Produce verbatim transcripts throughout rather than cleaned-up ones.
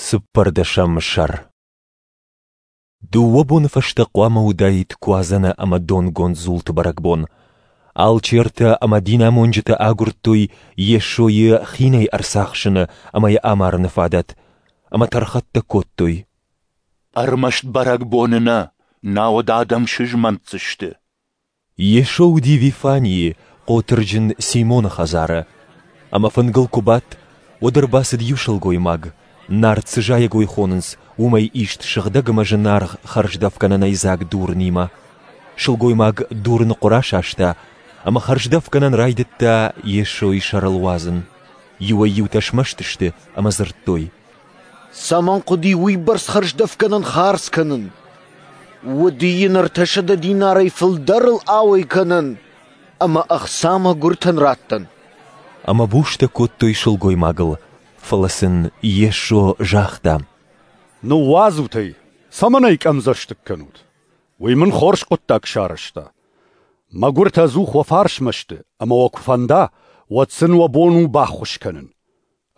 Цыппӕрдӕсӕм сӕр. Дыууӕ боны фӕстӕ хъуамӕ уыдаид Куадзӕны ӕмӕ донгонд дзулты бӕрӕгбон. Алчертӕ ӕмӕ динамонджытӕ агуырдтой Йесойы хинӕй ӕрцахсыны ӕмӕ йӕ амарыны фадат, ӕмӕ тӕрхӕттӕ кодтой. Ӕрмӕст бӕрӕгбоны нӕ, науӕд адӕм сызмӕнтдзысты. Йесо уыди Вифанийы, хъотырджын Симоны хӕдзары. Ӕмӕ фынгыл куы бадт, уӕд ӕрбацыд иу сылгоймаг, нард цы зайӕгой хонынц, уымӕй ист сыгъдӕг ӕмӕ зынаргъ хӕрздӕфгӕнӕнӕй дзаг дурынимӕ. Сылгоймаг дурыны хъуыр асаста ӕмӕ хӕрздӕфгӕнӕн райдыдта Йесойы сӕрыл уадзын. Иуӕй-иутӕ смӕсты сты ӕмӕ дзырдтой: Цӕмӕн хъуыди уыйбӕрц хӕрздӕфгӕнӕн хардз кӕнын? Уыди йын ӕртӕсӕдӕ динарӕй фылдӕрыл ауӕй кӕнӕн ӕмӕ ӕхца мӕгуыртӕн раттӕн. Ӕмӕ бустӕ кодтой сылгоймагыл, фӕлӕ сын Йесо загъта: Ныууадзут ӕй, цӕмӕн ӕй къӕмдзӕстыг кӕнут? Уый мын хорз хъуыддаг сарӕзта. Мӕгуыртӕ ӕдзух уӕ фарсмӕ сты, ӕмӕ уӕ куы фӕнда, уӕд сын уӕ бон у баххуыс кӕнын.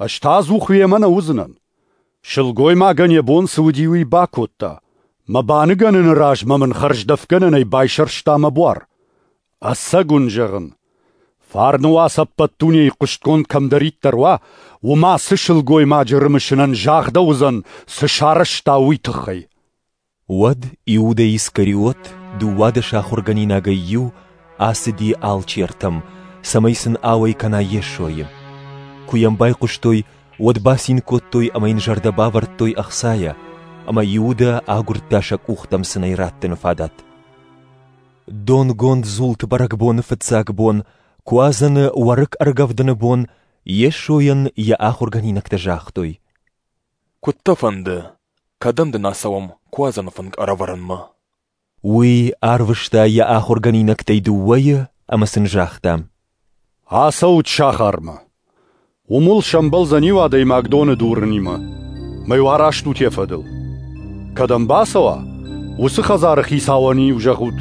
Ӕз та ӕдзух уемӕ нӕ уыдзынӕн. Сылгоймагӕн йӕ бон цы уыди, уый бакодта. Мӕ баныгӕныны размӕ мын хӕрздӕфгӕнӕнӕй байсӕрста мӕ буар. Ӕцӕг уын зӕгъын, фарны уац ӕппӕт дунейы хъуыстгонд кӕмдӕриддӕр уа, уым ацы сылгоймаджы рымысынӕн загъдӕуыдзӕн, цы сарӕзта, уый тыххӕй. Уӕд Иудӕ Искариот, дыууадӕс ахуыргӕнинагӕй иу, ацыди алчертӕм, цӕмӕй сын ауӕй кӕна Йесойы. Куы йӕм байхъуыстой, уӕд бацин кодтой ӕмӕ йын зӕрдӕ бавӕрдтой ӕхцайӕ, ӕмӕ Иудӕ агуырдта сӕ къухтӕм сын ӕй раттыны фадат. Донгонд дзулты бӕрӕгбоны фыццаг бон, Куадзӕны уӕрыкк ӕргӕвдыны бон, Йесойӕн йӕ ахуыргӕнинӕгтӕ загътой: Куыд дӕ фӕнды, кӕдӕм дын ацӕуӕм Куадзӕны фынг ӕрӕвӕрынмӕ? Уый арвыста йӕ ахуыргӕнинӕгтӕй дыууӕйы ӕмӕ сын загъта: Ацӕут сахармӕ. Уым уыл сӕмбӕлдзӕн иу адӕймаг доны дурынимӕ. Мӕ-иу араст ут йӕ фӕдыл. Кӕдӕм бацӕуа, уыцы хӕдзары хицауӕн-иу зӕгъут: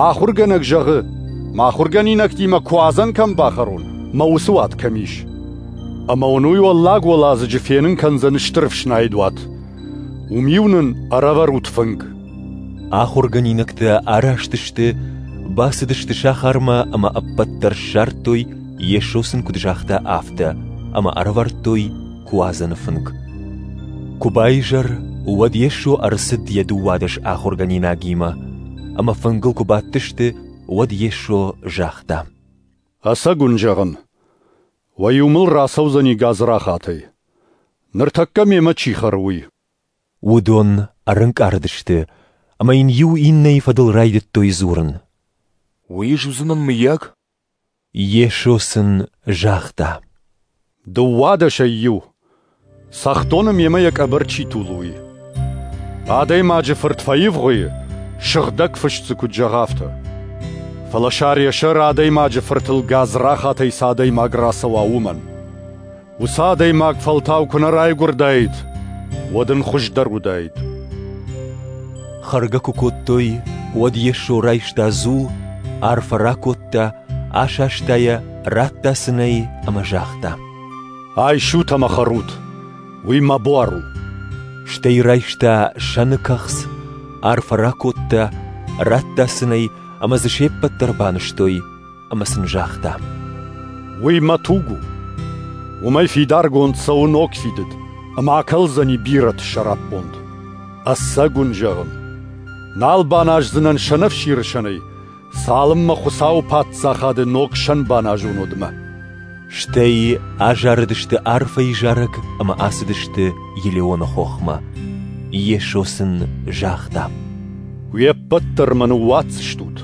Ахуыргӕнӕг зӕгъы, мӕ ахуыргӕнинӕгтимӕ Куадзӕн кӕм бахӕрон, мӕ уыцы уат кӕм ис. Ӕмӕ уын уый уӕллаг уӕладзыджы фенын кӕндзӕн стыр ӕфснайд уат. Уым-иу нын ӕрӕвӕрут фынг. Ахуыргӕнинӕгтӕ араст сты, бацыдысты сахармӕ ӕмӕ ӕппӕт дӕр ссардтой, Йесо сын куыд загъта, афтӕ, ӕмӕ ӕрӕвӕрдтой Куадзӕны фынг. Куы баизӕр, уӕд Йесо ӕрцыд йӕ дыууадӕс ахуыргӕнинагимӕ, ӕмӕ фынгыл куы бадтысты, уӕд Йесо загъта: Ӕцӕг уын зӕгъын, уӕ иу мыл рацӕудзӕни гадзрахатӕй. Ныртӕккӕ мемӕ чи хӕры, уый. Уыдон ӕрӕнкъард сты, ӕмӕ йын иу иннӕйы фӕдыл райдыдтой дзурын: Уый ӕз уыдзынӕн, мыййаг? Йесо сын загъта: Дыууадӕсӕй иу, цӕхдоны мемӕ йӕ къӕбӕр чи тулы, уый. Адӕймаджы фырт фӕивгъуыйы, сыгъдӕг фыст дзы куыд зӕгъы, афтӕ. Фӕлӕ сӕр йӕ сӕр адӕймаджы фыртыл гадзрахатӕй цы адӕймаг рацӕуа, уымӕн. Уыцы адӕймаг фӕлтау куы нӕ райгуырдаид, уӕд ын хуыздӕр уыдаид. Хӕргӕ куы кодтой, уӕд Йесо райста дзул, арфӕ ракодта, асаста йӕ, радта сын ӕй ӕмӕ загъта: Айсут ӕмӕ хӕрут, уый мӕ буар у. Стӕй райста сӕны кӕхц, арфӕ ракодта, радта сын ӕй ӕмӕ дзы се ппӕт дӕр банызтой, ӕмӕ сын загъта: Уый мӕ туг у. Уымӕй фидаргонд цӕуы ног фидыд, ӕмӕ акӕлдзӕни бирӕты сӕраппонд. Ӕцӕг уын зӕгъын, нал баназдзынӕн сӕнӕфсиры сӕнӕй, цалынмӕ Хуыцауы паддзахады ног сӕн баназон, уӕдмӕ. Стӕй азарыдысты арфӕйы зарӕг ӕмӕ ацыдысты Елеоны хохмӕ. Йесо сын загъта: Уе ппӕт дӕр мӕ ныууадздзыстут,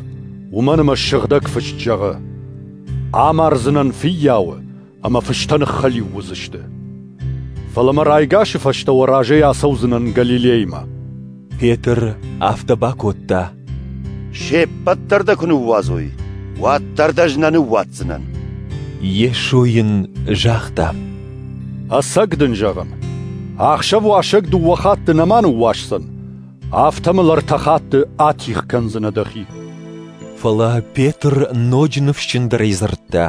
уымӕн ӕмӕ сыгъдӕг фыст зӕгъы: Амардзынӕн фыййауы, ӕмӕ фыстӕ ныххӕлиу уыдзысты. Фӕлӕ мӕ райгасы фӕстӕ уӕ разӕй ацӕудзынӕн Галилеймӕ. Петр афтӕ бакодта: Се ппӕт дӕр дӕ куы ныууадзой, уӕддӕр дӕ ӕз нӕ ныууадздзынӕн. Йесо йын загъта: Ӕцӕг дын зӕгъын, ахсӕв уасӕг дыууӕ хатты нӕма ныууасдзӕн, афтӕ мыл ӕртӕ хатты атигъ кӕндзынӕ дӕхи. Фӕлӕ Петр ноджы ныфсджындӕрӕй дзырдта: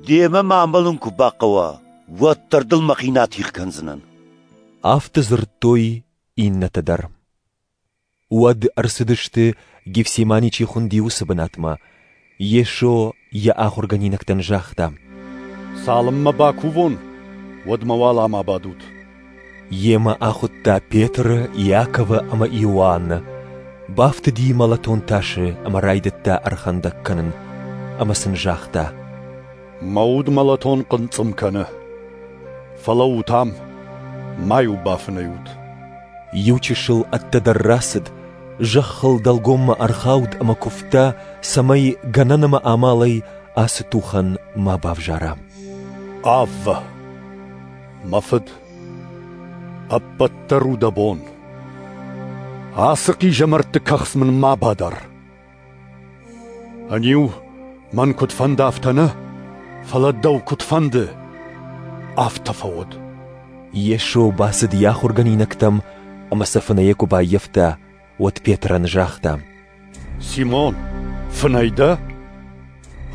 Демӕ ма амӕлын куы бахъӕуа, уӕддӕр дыл мӕхи нӕ атигъ кӕндзынӕн. Афтӕ дзырдтой иннӕтӕ дӕр. Уӕд ӕрцыдысты, Гефсимани чи хуынди, уыцы бынатмӕ. Йесо йӕ ахуыргӕнинӕгтӕн загъта: «Цалынмӕ бакувон, уӕдмӕ уал ам абадут». Йемӕ ахуыдта Петры, Иаковы ӕмӕ Иоанны. Бафтыди мӕлӕтон тасы ӕмӕ райдыдта ӕрхӕндӕг кӕнын. Ӕмӕ сын загъта: «Мӕ уд мӕлӕтон хъынцъым кӕны. Фӕлӕуут ам, ма-иу бафынӕй ут». Иу чысыл ӕддӕдӕр рацыд, зӕххыл дӕлгоммӕ ӕрхауд ӕмӕ куывта, цӕмӕй гӕнӕн ӕмӕ амалӕй ацы тухӕн ма бавзара. Аввӕ, мӕ Фыд, ӕппӕт дӕр у дӕ бон. Ацы хъизӕмӕртты кӕхц мын ма бадар. Ӕниу, мӕн куыд фӕнды, афтӕ нӕ, фӕлӕ дӕу куыд фӕнды, афтӕ фӕуӕд. Йесо бацыд йӕ ахуыргӕнинӕгтӕм ӕмӕ сӕ фынӕйӕ куы баййӕфта, уӕд Петрӕн загъта: «Симон, фынӕй дӕ?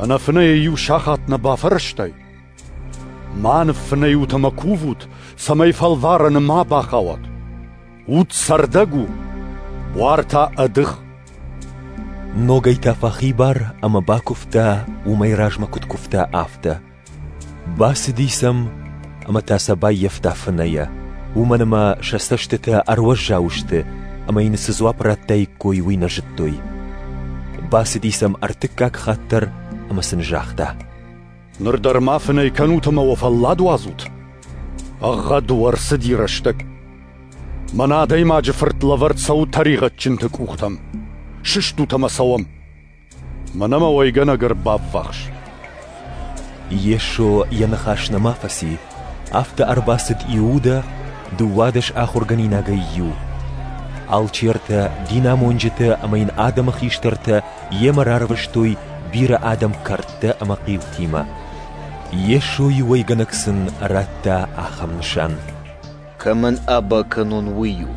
Ӕнӕфынӕйӕ иу сахат нӕ бафӕрӕзтай? Ма ныффынӕй ут ӕмӕ кувут, цӕмӕй фӕлварӕны ма бахауат. Уд цӕрдӕг у, буар та ӕдых». Ногӕй та фӕхибар ӕмӕ бакуывта, уымӕй размӕ куыд куывта, афтӕ. Бацыди сӕм ӕмӕ та сӕ баййӕфта фынӕйӕ, уымӕн ӕмӕ сӕ цӕстытӕ ӕруӕззау сты, ӕмӕ йын цы дзуапп радтаиккой, уый нӕ зыдтой. Бацыди сӕм ӕртыккаг хатт дӕр ӕмӕ сын загъта: «Ныр дӕр ма фынӕй кӕнут ӕмӕ уӕ фӕллад уадзут? Ӕгъгъӕд у, ӕрцыди рӕстӕг. Мӕн Адӕймаджы Фырт лӕвӕрд цӕуы тӕригъӕдджынты къухтӕм. Сыстут ӕмӕ цӕуӕм. Мӕнӕ мӕ уӕйгӕнӕг ӕрбаввахс». Йесо йӕ ныхас нӕма фӕци, афтӕ ӕрбацыд Иудӕ, дыууадӕс ахуыргӕнинагӕй иу. Алчертӕ, динамонджытӕ ӕмӕ йын адӕмы хистӕртӕ йемӕ рарвыстой бирӕ адӕм кӕрдтӕ ӕмӕ хъилтимӕ. Йесойы уӕйгӕнӕг сын радта ахӕм нысан: «Кӕмӕн аба кӕнон, уый у.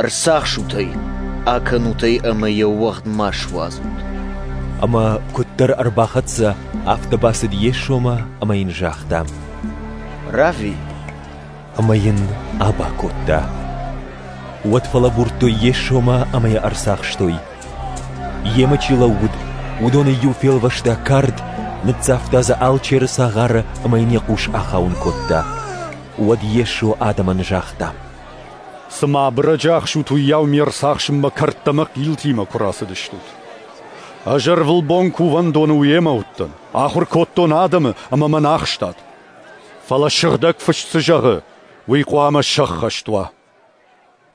Ӕрцахсут ӕй, акӕнут ӕй ӕмӕ йӕ уӕгъд ма суадзут». Ӕмӕ куыддӕр ӕрбахӕццӕ, афтӕ бацыд Йесомӕ ӕмӕ йын загъта: «Равви!» Ӕмӕ йын аба кодта. Уӕд фӕлӕбурдтой Йесомӕ ӕмӕ йӕ ӕрцахстой. Йемӕ чи лӕууыд, уыдонӕй иу фелвӕста кард, ныццавта дзы алчеры цагъары ӕмӕ йын йӕ хъус ахауын кодта. Уӕд Йесо адӕмӕн загъта: «Цыма абырӕджы ахсут, уыйау ме рцахсынмӕ кӕрдтӕ ӕмӕ хъилтимӕ куы рацыдыстут. Ӕз ӕрвылбон кувӕндоны уемӕ уыдтӕн, ахуыр кодтон адӕмы ӕмӕ мӕн ахстат. Фӕлӕ Сыгъдӕг Фыст цы зӕгъы, уый хъуамӕ сӕххӕст уа».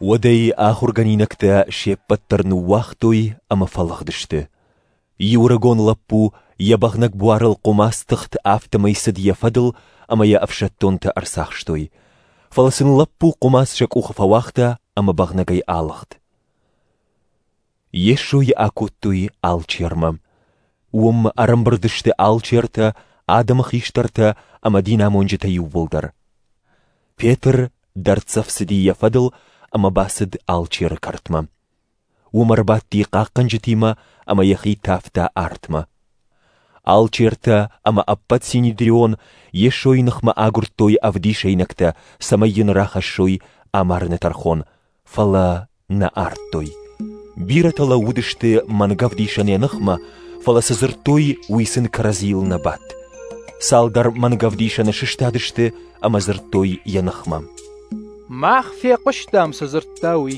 Уӕд ӕй ахуыргӕнинӕгтӕ се ппӕт дӕр ныууагътой ӕмӕ фӕлыгъдысты. Иу ӕрыгон лӕппу йӕ бӕгънӕг буарыл хъуымац тыхт, афтӕмӕй цыд йӕ фӕдыл ӕмӕ йӕ ӕфсӕддонтӕ ӕрцахстой. Фӕлӕ сын лӕппу хъуымац сӕ къухы фӕуагъта ӕмӕ бӕгънӕгӕй алыгъд. Йесойы акодтой алчермӕ. Уым ӕрӕмбырд сты алчертӕ, адӕмы хистӕртӕ ӕмӕ динамонджытӕ иууылдӕр. Петр дӕрддзӕф цыди йӕ фӕдыл ӕмӕ бацыд алчеры кӕртмӕ. Уым ӕрбадти хъахъхъӕнджытимӕ ӕмӕ йӕхи тавта артмӕ. Алчертӕ ӕмӕ ӕппӕт синедрион Йесойы ныхмӕ агуырдтой ӕвдисӕйнӕгтӕ, цӕмӕй йын рахӕссой амарыны тӕрхон, фӕлӕ нӕ ардтой. Бирӕтӕ лӕууыдысты мӕнгӕвдисӕн йӕ ныхмӕ, фӕлӕ цы дзырдтой, уый сын кӕрӕдзийыл нӕ бадт. Цалдӕр мӕнгӕвдисӕны сыстадысты ӕмӕ дзырдтой йӕ ныхмӕ: «Мах фехъуыстам, цы дзырдта уый.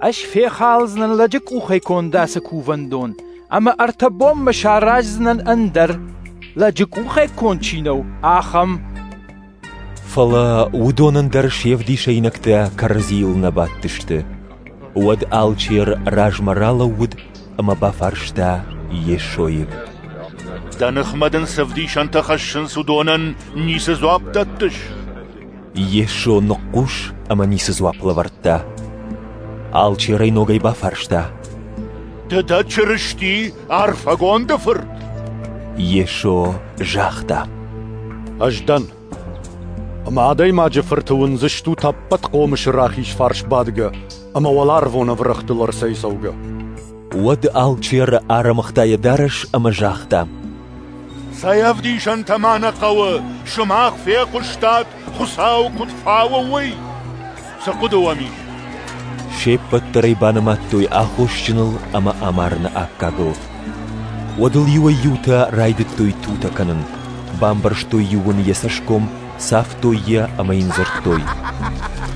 Ӕз фехалдзынӕн лӕджы къухӕй конд ацы кувӕндон, ӕмӕ ӕртӕ бонмӕ сараздзынӕн ӕндӕр, лӕджы къухӕй конд чи нӕу, ахӕм». Фӕлӕ уыдонӕн дӕр се вдисӕйнӕгтӕ кӕрӕдзийыл нӕ бадтысты. Уӕд алчер размӕ ралӕууыд ӕмӕ бафарста Йесойы: «Дӕ ныхмӕ дын цы ӕвдисӕнтӕ хӕссынц, уыдонӕн ницы дзуапп дӕттыс?» Йесо ныхъхъус ӕмӕ ницы дзуапп лӕвӕрдта. Алчер ӕй ногӕй бафарста: «Ды дӕ Чырысти, арфӕгонды Фырт?» Йесо загъта: «Ӕз дӕн. Ӕмӕ Адӕймаджы Фырты уындзыстут ӕппӕт хъомысы рахиз фарс бадгӕ ӕмӕ уӕларвон ӕврӕгътыл ӕрцӕйцӕугӕ». Уӕд алчер ӕрӕмыгъта йӕ дарӕс ӕмӕ загъта: «Цӕй ӕвдисӕнтӕ ма нӕ хъӕуы, сымах фехъуыстат, Хуыцау куыд фауы, уый! Цы хъуыды уӕм ис? Се ппӕт дӕр ӕй банымадтой аххосджыныл ӕмӕ амарыны аккагыл. Уӕд ыл иуӕй-иутӕ райдыдтой тутӕ кӕнын, бамбӕрзтой-иу ын йӕ цӕсгом, цавтой йӕ ӕмӕ йын дзырдтой: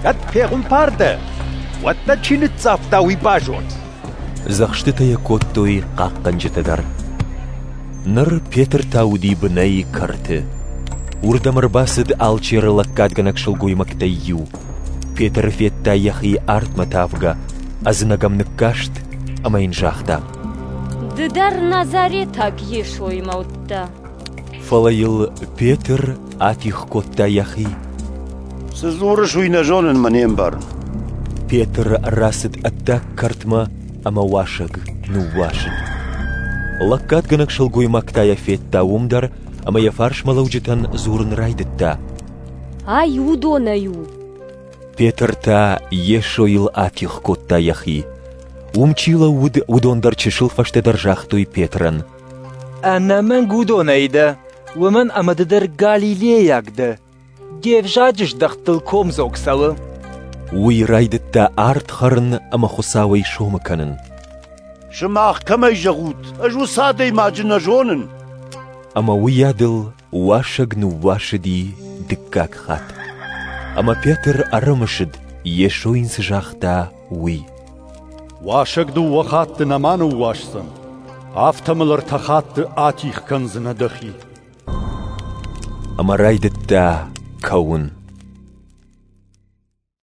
Кӕд пехуымпар дӕ, уӕд дӕ чи ныццавта, уый базон. Дзӕхстытӕ йӕ кодтой хъахъхъӕнджытӕ дӕр. Ныр Петр та уыди бынӕй кӕрты. Уырдӕм ӕрбацыд алчеры лӕггадгӕнӕг сылгоймӕгтӕй иу. Петр федта йӕхи артмӕ тавгӕ, ӕдзынӕг ӕм ныккаст ӕмӕ йын загъта: Ды дӕр Назаретаг Йесоимӕ уыдтӕ. Фӕлӕ йыл Петр атигъ кодта йӕхи. Цы дзурыс, уый нӕ зонын мӕ не мбарын. Петр рацыд ӕддаг кӕртмӕ ӕмӕ уасӕг ныууасыд. Лӕггадгӕнӕг сылгоймаг та йӕ федта уым дӕр ӕмӕ йӕ фарсмӕлӕуджытӕн дзурын райдыдта: Ай уыдонӕй у. Петр та Йесойыл атигъ кодта йӕхи. Уым чи лӕууыд, уыдон дӕр чысыл фӕстӕдӕр загътой Петрӕн: Ӕнӕмӕнг уыдонӕй дӕ, уымӕн ӕмӕ ды дӕр галилейаг дӕ. Де взаджы здӕхтыл комдзог цӕуы. Уый райдыдта ард хӕрын ӕмӕ Хуыцауӕй сомы кӕнын. Сымах кӕмӕй зӕгъут, ӕз уыцы адӕймаджы нӕ зонын. Ӕмӕ уыйадыл уасӕг ныууасыди дыккаг хатт. Ӕмӕ Петр ӕрымысыд, Йесо йын цы загъта, уый: Уасӕг дыууӕ хатты нӕма ныууасдзӕн, афтӕ мыл ӕртӕ хатты атигъ кӕндзынӕ дӕхи. Ӕмӕ райдыдта кӕуын.